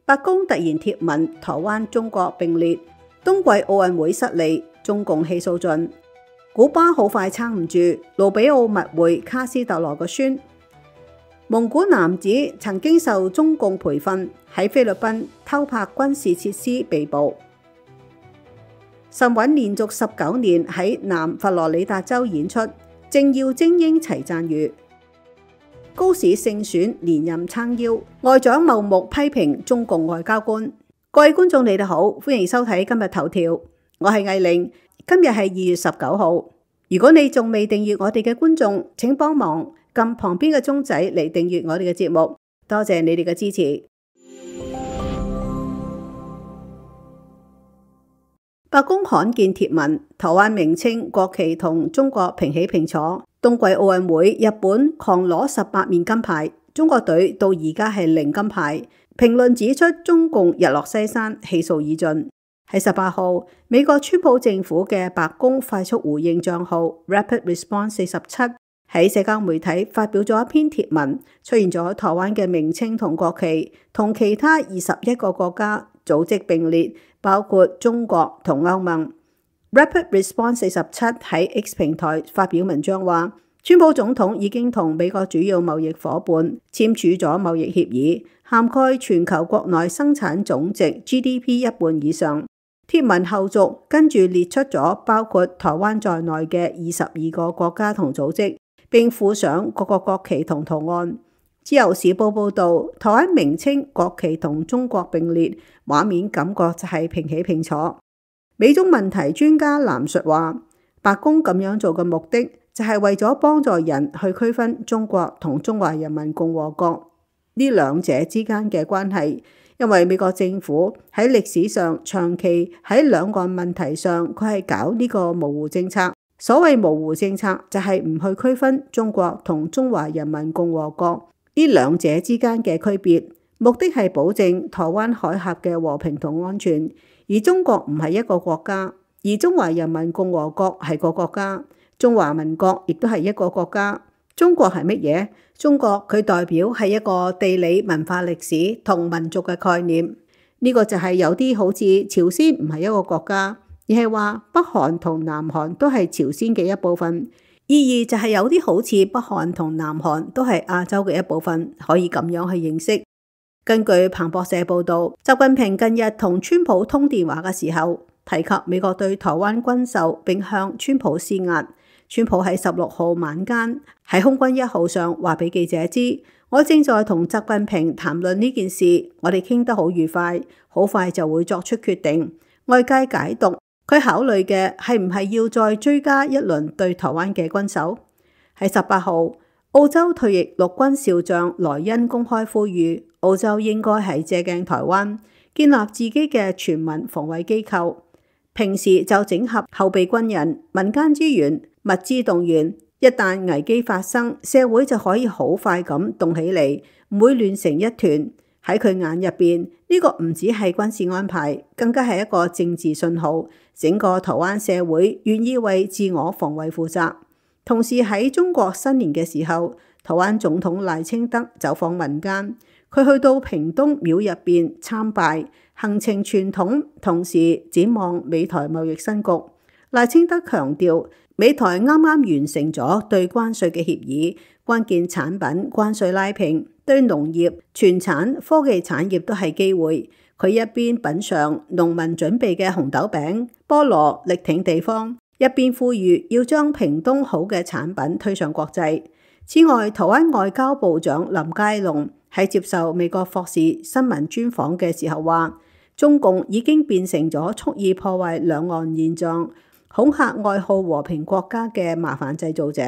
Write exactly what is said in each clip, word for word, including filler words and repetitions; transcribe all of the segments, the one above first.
白宮突然貼文台灣中國並列，冬季奧運會失利，中共氣數盡。古巴好快撐唔住，盧比奧密會卡斯特羅個孫。蒙古男子曾經受中共培訓，喺菲律賓偷拍軍事設施被捕。神韻連續十九年喺南佛羅里達州演出，政要精英齊讚譽。高市勝選連任撐腰，外長茂木批評中共外交官。各位觀眾你哋好，歡迎收睇今日頭條，我係藝玲。今日係二月十九號。如果你仲未訂閱我哋嘅觀眾，請幫忙撳旁邊嘅鐘仔嚟訂閱我哋嘅節目，多謝你哋嘅支持。白宮罕見貼文，台灣名稱國旗同中國平起平坐。冬季奧運會，日本狂攞十八面金牌，中國隊到而家係零金牌。評論指出，中共日落西山，氣數已盡。喺十八號，美國川普政府嘅白宮快速回應賬號 Rapid Response 四十七喺社交媒體發表咗一篇貼文，出現咗台灣嘅名稱同國旗，同其他二十一個國家組織並列，包括中國同歐盟。Rapid Response 四十七喺 X 平台發表文章話，川普總統已經同美國主要貿易夥伴簽署咗貿易協議，涵蓋全球國內生產總值 G D P 一半以上。貼文後續跟住列出咗包括台灣在內嘅二十二個國家同組織，並附上各個國旗同圖案。自由時報報道，台灣名稱國旗同中國並列，畫面感覺就係平起平坐。美中問題專家藍述話，白宮咁樣做嘅目的就係為咗幫助人去區分中國同中華人民共和國呢兩者之間嘅關係。因為美國政府喺歷史上長期喺兩岸問題上，佢係搞呢個模糊政策。所謂模糊政策就係唔去區分中國同中華人民共和國呢兩者之間嘅區別，目的係保證台灣海峽嘅和平同安全。而中國唔係一個國家，而中華人民共和國係個國家，中華民國亦都係一個國家。中國係乜嘢？中國佢代表係一個地理文化歷史同民族嘅概念。呢個就係有啲好似朝鮮唔係一個國家，而係話北韓同南韓都係朝鮮嘅一部分。意義就係有啲好似北韓同南韓都係亞洲嘅一部分，可以咁樣去認識。根據彭博社報道，習近平近日同川普通電話嘅時候，提及美國對台灣軍售並向川普施壓。川普喺十六號晚間喺空軍一號上話俾記者知，我正在同習近平談論呢件事，我哋傾得好愉快，好快就會作出決定。外界解讀佢考慮嘅係唔係要再追加一輪對台灣嘅軍售。喺十八號，澳洲退役陸軍少將萊恩公開呼籲，澳洲應該係借鏡台灣，建立自己嘅全民防衛機構，平時就整合後備軍人、民間資源、物資動員，一旦危機發生，社會就可以好快咁動起嚟，唔會亂成一團。喺佢眼入邊，呢個唔只係軍事安排，更加係一個政治信號，整個台灣社會願意為自我防衛負責。同時喺中國新年嘅時候，台灣總統賴清德走訪民間，佢去到屏東廟入邊參拜，行程傳統，同時展望美台貿易新局。賴清德強調，美台啱啱完成咗對關稅嘅協議，關鍵產品關稅拉平，對農業、傳產、科技產業都係機會。佢一邊品嚐農民準備嘅紅豆餅、菠蘿，力挺地方，一邊呼籲要將屏東好嘅產品推上國際。此外，台灣外交部長林佳龍喺接受美國霍士新聞專訪嘅時候話，中共已經變成咗蓄意破壞兩岸現狀、恐嚇愛好和平國家嘅麻煩製造者。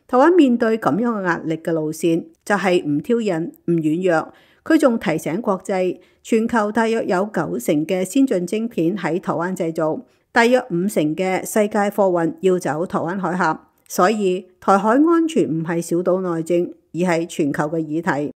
台灣面對咁樣嘅壓力嘅路線，就係唔挑釁、唔軟弱。佢仲提醒國際，全球大約有九成嘅先進晶片喺台灣製造，大約五成嘅世界貨運要走台灣海峽。所以台海安全唔係小島內政，而係全球嘅議題。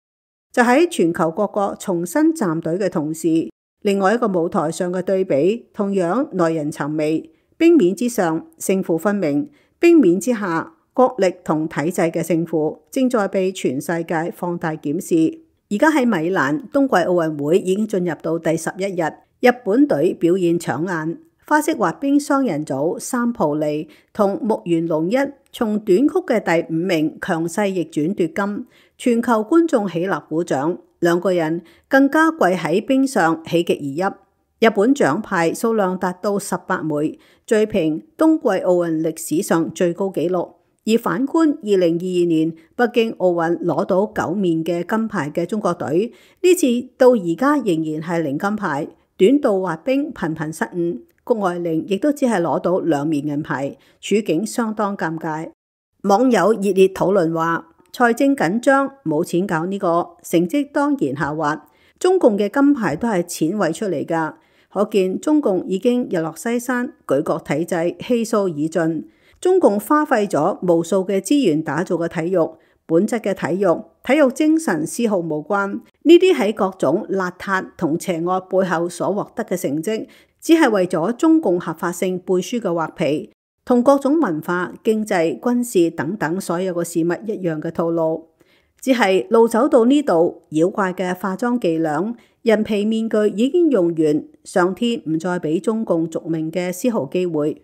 就喺全球各國重新站隊嘅同時，另外一個舞台上嘅對比同樣耐人尋味。冰面之上勝負分明，冰面之下國力同體制嘅勝負正在被全世界放大檢視。而而家喺米蘭冬季奧運會已經進入到第十一日，日本隊表現搶眼，花式滑冰雙人組三浦利同木原龍一從短曲嘅第五名強勢逆轉奪金，全球觀眾起立鼓掌，兩個人更加跪喺冰上喜極而泣。日本獎牌數量達到十八枚，追平冬季奧運歷史上最高紀錄。而反觀二零二二年北京奧運攞到九面嘅金牌嘅中國隊，呢次到而家仍然係零金牌，短道滑冰頻頻失誤，谷愛凌亦都只係攞到兩面銀牌，處境相當尷尬。網友熱烈討論話：財政緊張，冇錢搞呢個，成績當然下滑。中共嘅金牌都係錢餵出嚟㗎，可見中共已經日落西山，舉國體制氣數已盡。中共花費咗無數嘅資源打造嘅體育，本質嘅體育，體育精神絲毫無關。呢啲喺各種邋遢同邪惡背後所獲得嘅成績，只係為咗中共合法性背書嘅畫皮，同各種文化、經濟、軍事等等所有嘅事物一樣嘅套路。只係路走到呢度，妖怪嘅化妝伎倆、人皮面具已經用完，上天唔再俾中共續命嘅絲毫機會。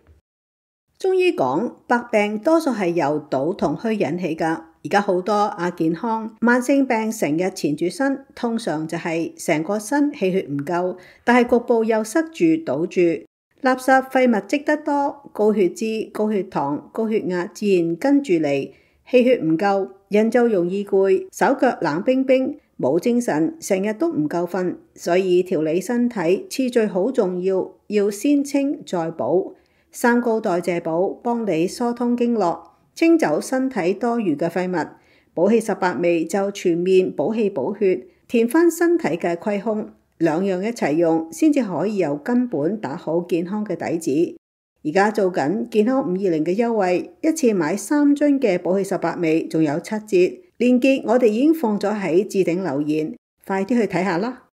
中醫講百病多數係由賭同虛引起㗎，而家好多亞健康慢性病成日纏住身，通常就係成個身氣血唔夠，但係局部又塞住堵住，垃圾廢物積得多，高血脂、高血糖、高血壓自然跟住嚟，氣血唔夠，人就容易攰，手腳冷冰冰，冇精神，成日都唔夠瞓，所以調理身體次序好重要，要先清再補。三高代謝補幫你疏通經絡，清走身體多餘嘅廢物。補氣十八味就全面補氣補血，填翻身體嘅虧空，兩樣一齊用，先至可以由根本打好健康嘅底子。而家做緊健康五二零嘅優惠，一次買三樽嘅補氣十八味，仲有七折。鏈接我哋已經放咗喺置頂留言，快啲去睇下啦！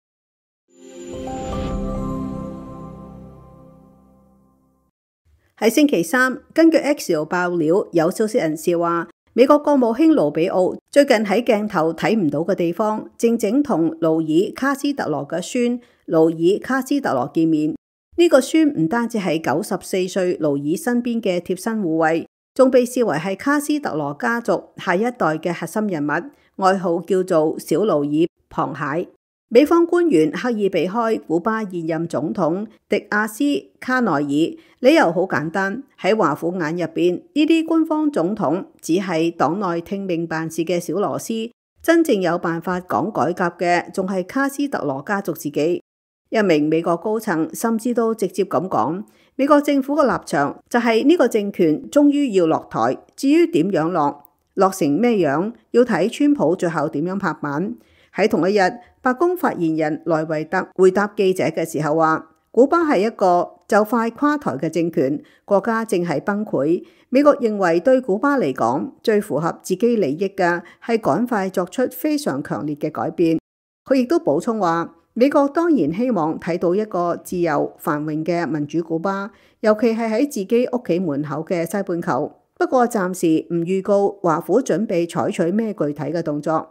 喺星期三，根據 Axios 爆料，有消息人士話，美國國務卿盧比奧最近喺鏡頭睇唔到嘅地方，正正同勞爾卡斯特羅嘅孫勞爾卡斯特羅見面。呢、這個孫唔單止係九十四歲勞爾身邊嘅貼身護衛，仲被視為係卡斯特羅家族下一代嘅核心人物，外號叫做小勞爾螃蟹。美方官員刻意避開古巴現任總統迪亞斯卡內爾，理由好簡單，喺華府眼入邊，呢啲官方總統只係黨內聽命辦事嘅小螺絲，真正有辦法講改革嘅，仲係卡斯特羅家族自己。一名美國高層甚至都直接咁講，美國政府嘅立場就係呢個政權終於要落台，至於點樣落，落成咩樣，要睇川普最後點樣拍板。喺同一日，白宮發言人萊維特回答記者嘅時候話，古巴係一個就快垮台嘅政權，國家正係崩潰。美國認為對古巴嚟講，最符合自己利益嘅係趕快作出非常強烈嘅改變。佢亦都補充話，美國當然希望睇到一個自由繁榮嘅民主古巴，尤其係喺自己屋企門口嘅西半球。不過暫時唔預告華府準備採取咩具體嘅動作。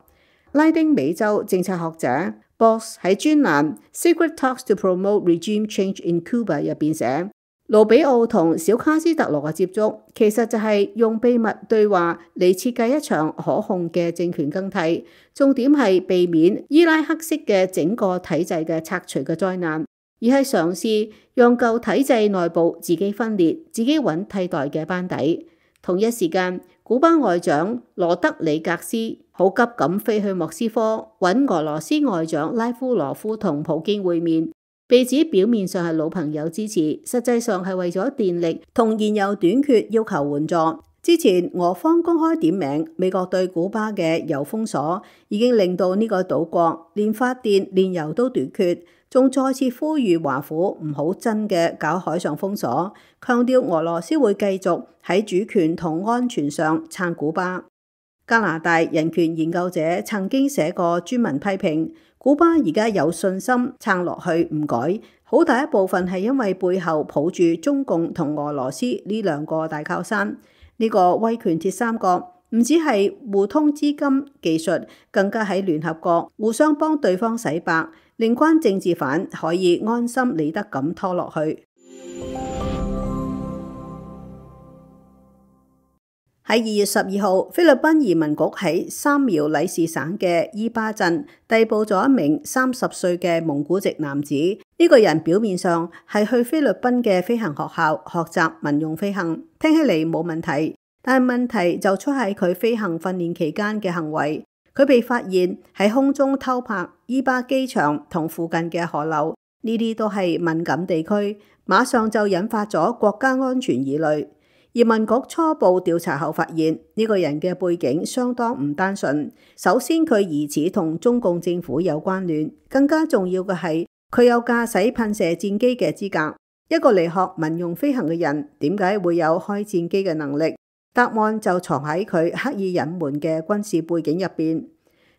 拉丁美洲政策學者 Boss 喺專欄 Secret Talks to Promote Regime Change in Cuba 入邊寫，盧比奧同小卡斯特羅嘅接觸，其實就係用秘密對話嚟設計一場可控嘅政權更替，重點係避免伊拉克式嘅整個體制嘅拆除嘅災難，而係嘗試讓舊體制內部自己分裂，自己揾替代嘅班底。同一時間，古巴外長羅德里格斯好急咁飛去莫斯科揾俄羅斯外長拉夫羅夫同普京會面，被指表面上係老朋友支持，實際上係為咗電力同燃油短缺要求援助。之前俄方公開點名美國對古巴嘅油封鎖，已經令到呢個島國連發電、煉油都短缺，仲再次呼籲華府唔好真嘅搞海上封鎖，強調俄羅斯會繼續喺主權同安全上撐古巴。加拿大人權研究者曾經寫過專文批評，古巴而家有信心撐落去唔改，好大一部分係因為背後抱住中共同俄羅斯呢兩個大靠山。呢個威權鐵三角唔止係互通資金技術，更加喺聯合國互相幫對方洗白，令關政治犯可以安心理得咁拖落去。喺二月十二號，菲律賓移民局喺三苗里士省嘅伊巴鎮逮捕咗一名三十歲嘅蒙古籍男子。呢、這個人表面上係去菲律賓嘅飛行學校學習民用飛行，聽起嚟冇問題。但係問題就出喺佢飛行訓練期間嘅行為。佢被發現喺空中偷拍伊巴機場同附近嘅河流，呢啲都係敏感地區，馬上就引發咗國家安全疑慮。移民局初步調查後發現，呢、這個人嘅背景相當唔單純。首先，佢疑似同中共政府有關聯，更加重要嘅係佢有駕駛噴射戰機嘅資格。一個嚟學民用飛行嘅人，點解會有開戰機嘅能力？答案就藏喺佢刻意隱瞞嘅軍事背景入邊。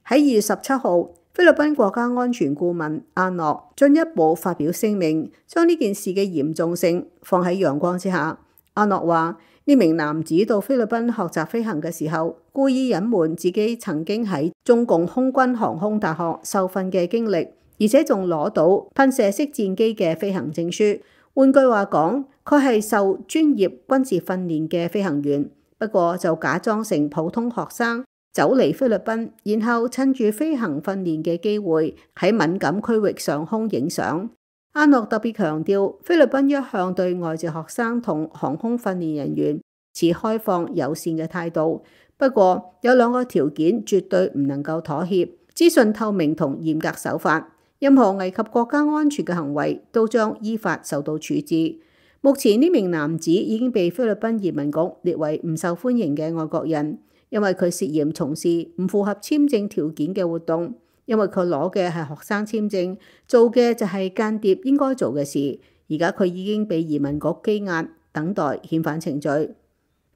喺二月十七號，菲律賓國家安全顧問阿諾進一步發表聲明，將呢件事嘅嚴重性放喺陽光之下。阿諾話：呢名男子到菲律賓學習飛行嘅時候，故意隱瞞自己曾經喺中共空軍航空大學受訓嘅經歷，而且仲攞到噴射式戰機嘅飛行證書。換句話講，佢係受專業軍事訓練嘅飛行員，不過就假裝成普通學生走嚟菲律賓，然後趁住飛行訓練嘅機會喺敏感區域上空影相。阿諾特別強調，菲律賓一向對外籍學生同航空訓練人員持開放友善嘅態度，不過有兩個條件絕對唔能夠妥協：資訊透明同嚴格守法。任何危及國家安全嘅行為都將依法受到處置。目前呢名男子已經被菲律賓移民局列為唔受歡迎嘅外國人，因為佢涉嫌從事唔符合簽證條件嘅活動。因為佢攞嘅係學生簽證，做嘅就係間諜應該做嘅事。而家佢已經被移民局羈押，等待遣返程序。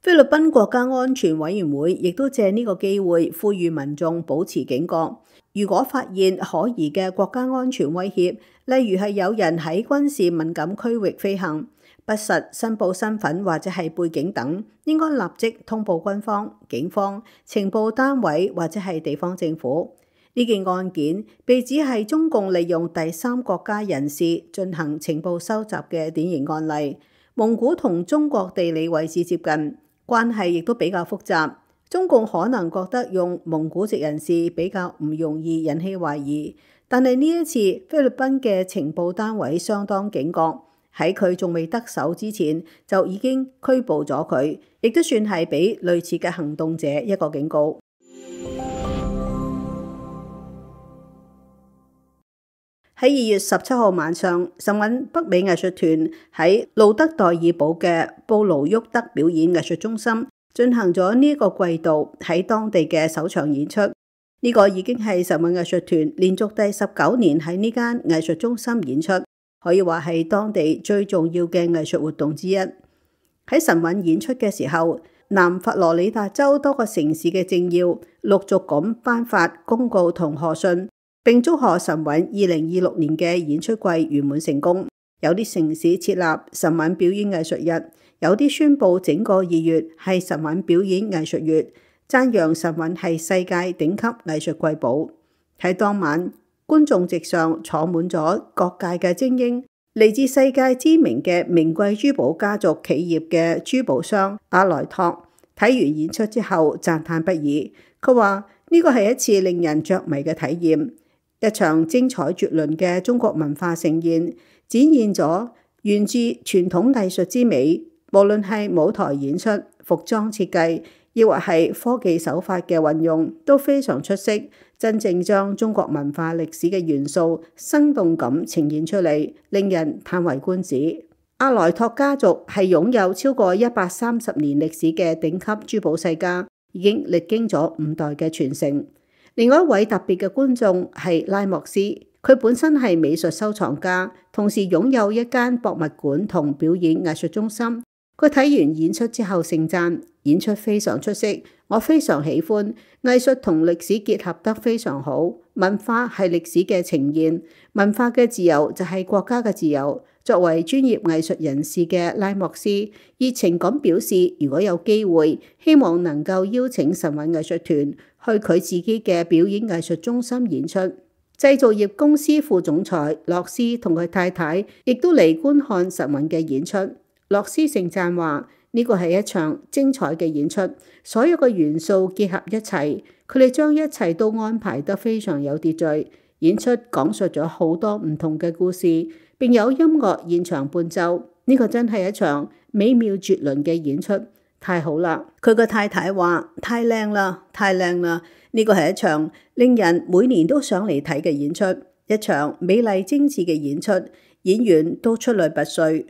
菲律賓國家安全委員會亦都借呢個機會呼籲民眾保持警覺。如果發現可疑嘅國家安全威脅，例如係有人喺軍事敏感區域飛行，不實申報身份或者係背景等，應該立即通報軍方、警方、情報單位或者係地方政府。呢件案件被指係中共利用第三國家人士進行情報收集嘅典型案例。蒙古同中國地理位置接近，關係亦都比較複雜。中共可能覺得用蒙古籍人士比較唔容易引起懷疑，但係呢一次菲律賓嘅情報單位相當警覺，喺佢仲未得手之前就已經拘捕咗佢，亦都算係俾類似嘅行動者一個警告。喺二月十七號晚上，神韻北美藝術團喺路德代爾堡嘅布勞沃德表演藝術中心進行咗呢一個季度喺當地嘅首場演出。呢、這個已經係神韻藝術團連續第十九年喺呢間藝術中心演出，可以話係當地最重要嘅藝術活動之一。喺神韻演出嘅時候，南佛羅里達州多個城市嘅政要陸續咁頒發公告同賀信，並祝賀神韻二零二六年嘅演出季圓滿成功。有啲城市設立神韻表演藝術日，有啲宣布整個二月係神韻表演藝術月，讚揚神韻係世界頂級藝術瑰寶。喺當晚，觀眾席上坐滿咗各界嘅精英，嚟自世界知名嘅名貴珠寶家族企業嘅珠寶商阿萊托，睇完演出之後讚嘆不已。佢話呢個係一次令人着迷嘅體驗。一場精彩絕倫嘅中國文化盛宴，展現咗源自傳統藝術之美。無論係舞台演出、服裝設計，亦或係科技手法嘅運用，都非常出色。真正將中國文化歷史嘅元素生動咁呈現出嚟，令人嘆為觀止。阿萊托家族係擁有超過一百三十年歷史嘅頂級珠寶世家，已經歷經咗五代嘅傳承。另外一位特別嘅觀眾係拉莫斯，佢本身係美術收藏家，同時擁有一間博物館同表演藝術中心。佢睇完演出之後盛讚演出非常出色，我非常喜歡藝術同歷史結合得非常好。文化係歷史嘅呈現，文化嘅自由就係國家嘅自由。作為專業藝術人士嘅拉莫斯，熱情咁表示，如果有機會，希望能夠邀請神韻藝術團去佢自己嘅表演藝術中心演出。製造業公司副總裁洛斯同佢太太亦都嚟觀看神韻嘅演出。洛斯盛讚話：呢個係一場精彩嘅演出，所有嘅元素結合一齊，佢哋將一切都安排得非常有秩序。演出講述咗好多唔同嘅故事，並有音樂現場伴奏。呢個真係一場美妙絕倫嘅演出，太好啦！佢個太太話：太靚啦，太靚啦！呢個係一場令人每年都想嚟睇嘅演出，一場美麗精緻嘅演出，演員都出類拔萃。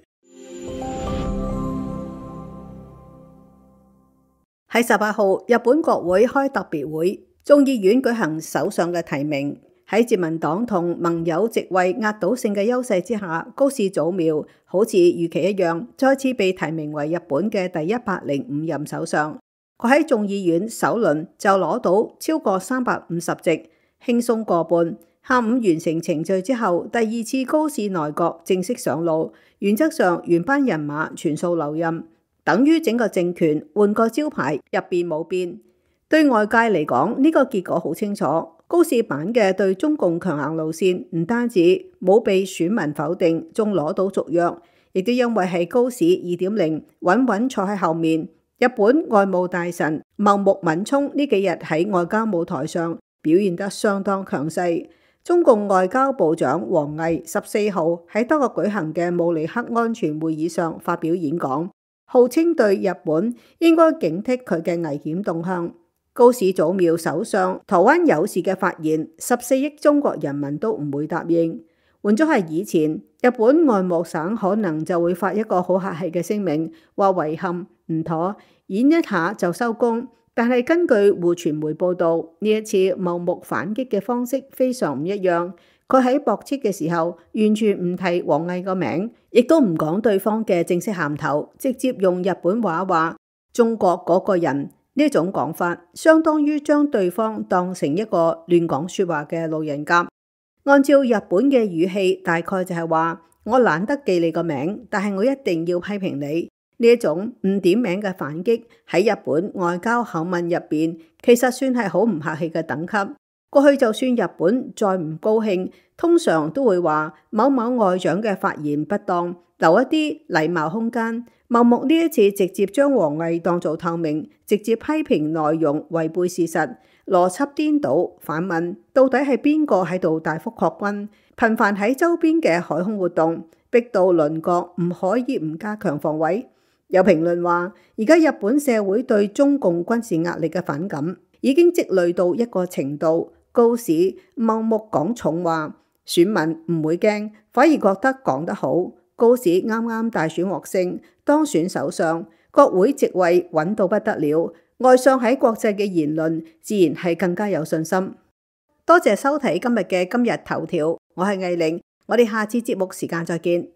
喺十八號，日本國會開特別會，眾議院舉行首相嘅提名。喺自民黨同盟友席位壓倒性嘅優勢之下，高市早苗好似預期一樣，再次被提名為日本嘅第一百零五任首相。佢喺眾議院首輪就攞到超過三百五十席，輕鬆過半。下午完成程序之後，第二次高市內閣正式上路，原則上原班人馬全數留任，等於整個政權換個招牌，入邊冇變。對外界嚟講，呢個結果好清楚。高市版嘅對中共強硬路線唔單止冇被選民否定，仲攞到續約，亦都因為係高市二點零穩穩坐喺後面。日本外務大臣茂木敏充呢幾日喺外交舞台上表現得相當強勢。中共外交部長王毅十四號喺多個舉行嘅慕尼黑安全會議上發表演講，號稱對日本應該警惕佢嘅危險動向。高市早苗首相台灣有事嘅發言，十四億中國人民都唔會答應。換咗係以前，日本外務省可能就會發一個好客氣嘅聲明，話遺憾唔妥，演一下就收工。但係根據滬傳媒報道，呢一次茂木反擊嘅方式非常唔一樣。佢喺駁斥嘅時候，完全唔提王毅個名，亦都唔講對方嘅正式銜頭，直接用日本話話中國嗰個人。呢種講法相當於將對方當成一個亂講說話嘅路人甲。按照日本嘅語氣，大概就係話我懶得記你個名，但係我一定要批評你。呢一種唔點名嘅反擊喺日本外交口吻入邊，其實算係好唔客氣嘅等級。過去就算日本再唔高興，通常都會話某某外長嘅發言不當，留一啲禮貌空間。茂木呢一次直接將王毅當做透明，直接批評內容違背事實，邏輯顛倒，反問到底係邊個喺度大幅擴軍，頻繁喺周邊嘅海空活動，逼到鄰國唔可以唔加強防衛。有評論話，而家日本社會對中共軍事壓力嘅反感已經積累到一個程度，高市茂木講重話，選民唔會驚，反而覺得講得好。高市啱啱大選獲勝，當選首相，國會席位穩到不得了，外相喺國際嘅言論自然係更加有信心。多謝收睇今日嘅今日頭條，我係藝玲，我哋下次節目時間再見。